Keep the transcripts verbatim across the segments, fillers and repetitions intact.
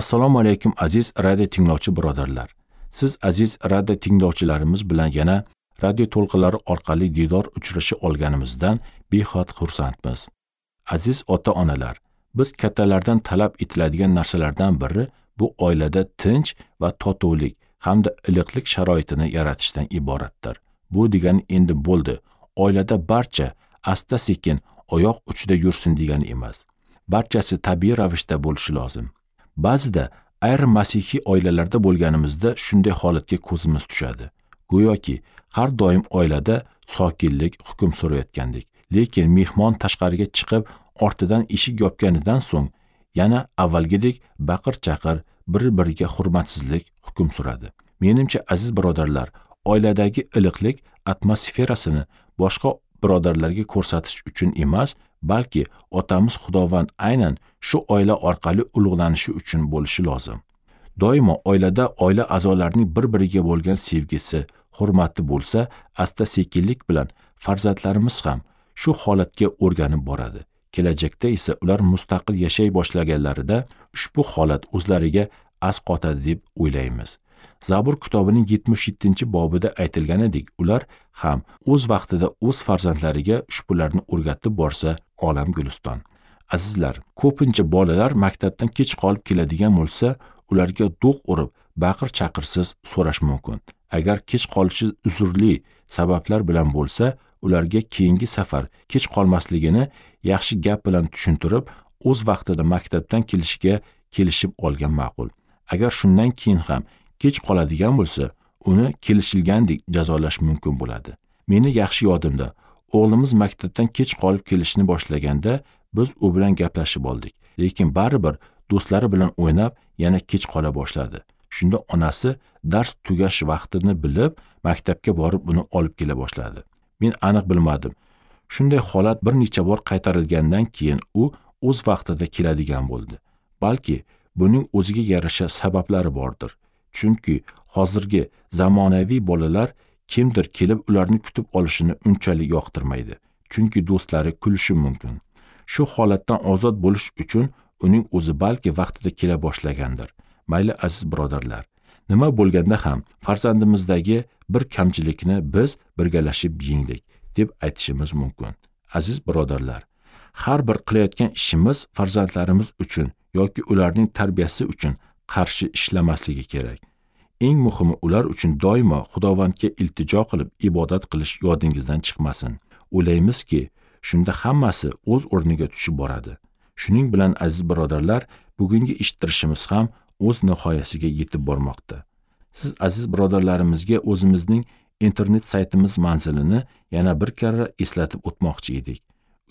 Assalomu alaykum aziz radio tinglovchi birodarlar. Siz aziz radio tinglovchilarimiz bilan yana radio to'lqinlari orqali diydor uchrasha olganimizdan behad xursandmiz. Aziz ota-onalar, biz kattalardan talab etiladigan narsalardan biri bu oilada tinch va totuvlik hamda iliqlik sharoitini yaratishdan iboratdir. Bu degani endi bo'ldi, oilada barcha asta-sekin oyoq uchida yursin degani emas. Barchasi tabiiy ravishda bo'lishi lozim. Ba'zida ayrim masihiy oilalarda bo'lganimizda shunday holatga ko'zimiz tushadi. Go'yoki har doim oilada sokinlik hukm surayotgandek. Lekin mehmon tashqariga chiqib, ortidan eshik yopganidan so'ng yana avvalgidek baqir-chaqir, bir-biriga hurmatsizlik hukm suradi. Menimcha aziz birodarlar, oiladagi iliqlik atmosferasini boshqa birodarlarga ko'rsatish uchun emas, balki otamiz Xudovand aynan shu oila orqali ulug'lanishi uchun bo'lishi lozim. Doimo oilada oila a'zolarining bir-biriga bo'lgan sevgisi, hurmati bo'lsa, asta-sekinlik bilan farzandlarimiz ham shu holatga o'rganib boradi. Kelajakda esa ular mustaqil yashay boshlaganlarida ushbu holat o'zlariga asqotadi deb o'ylaymiz. Zabur kitobining yetmish yettinchi bobida aytilganidek, ular ham o'z vaqtida o'z farzandlariga ushbularni o'rgatib borsa, olam guliston. Azizlar, ko'pincha bolalar maktabdan kech qolib keladigan bo'lsa, ularga do'q urib, baqir-chaqirsiz so'rash mumkin. Agar kech qolishi uzrli sabablar bilan bo'lsa, ularga keyingi safar kech qolmasligini yaxshi gap bilan tushuntirib, o'z vaqtida maktabdan kelishiga kelishib olgan ma'qul. Agar shundan keyin ham kech qoladigan bo'lsa, uni kelishilgandek jazolash mumkin bo'ladi. Meni yaxshi yodimda, o'g'limiz maktabdan kech qolib kelishni boshlaganda biz u bilan gaplashib oldik. Lekin baribir do'stlari bilan o'ynab yana kech qola boshladi. Shunda onasi dars tugash vaqtini bilib, maktabga borib uni olib kela boshladi. Men aniq bilmadim. Shunday holat bir necha bor qaytarilgandan keyin u o'z vaqtida keladigan bo'ldi. Balki buning o'ziga yarasha sabablari bordir. Chunki hozirgi zamonaviy bolalar kimdir kelib ularni kutib olishini unchalik yoqtirmaydi. Chunki do'stlari kulishi mumkin. Shu holatdan ozod bo'lish uchun uning o'zi balki vaqtida kela boshlagandir. Mayli aziz birodarlar, nima bo'lganda ham farzandimizdagi bir kamchilikni biz birgalashib yengdik deb aytishimiz mumkin. Aziz birodarlar, har bir qilayotgan ishimiz farzandlarimiz uchun yoki ularning tarbiyasi uchun qarshi ishlamasligi kerak. Eng muhimi ular uchun doimo Xudovandga iltijo qilib ibodat qilish yodingizdan chiqmasin. O'ylaymizki, shunda hammasi o'z o'rniga tushib boradi. Shuning bilan aziz birodarlar, bugungi eshittirishimiz ham o'z nihoyasiga yetib bormoqda. Siz aziz birodarlarimizga o'zimizning internet saytimiz manzilini yana bir karra eslatib o'tmoqchi edik.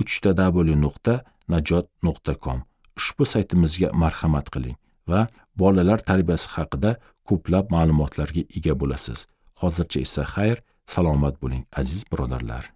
uch ta w nuqta najot nuqta com. Ushbu saytimizga marhamat qiling va bolalar tarbiyasi haqida ko'plab ma'lumotlarga ega bo'lasiz. Hozircha esa xayr, salomat bo'ling aziz birodarlar.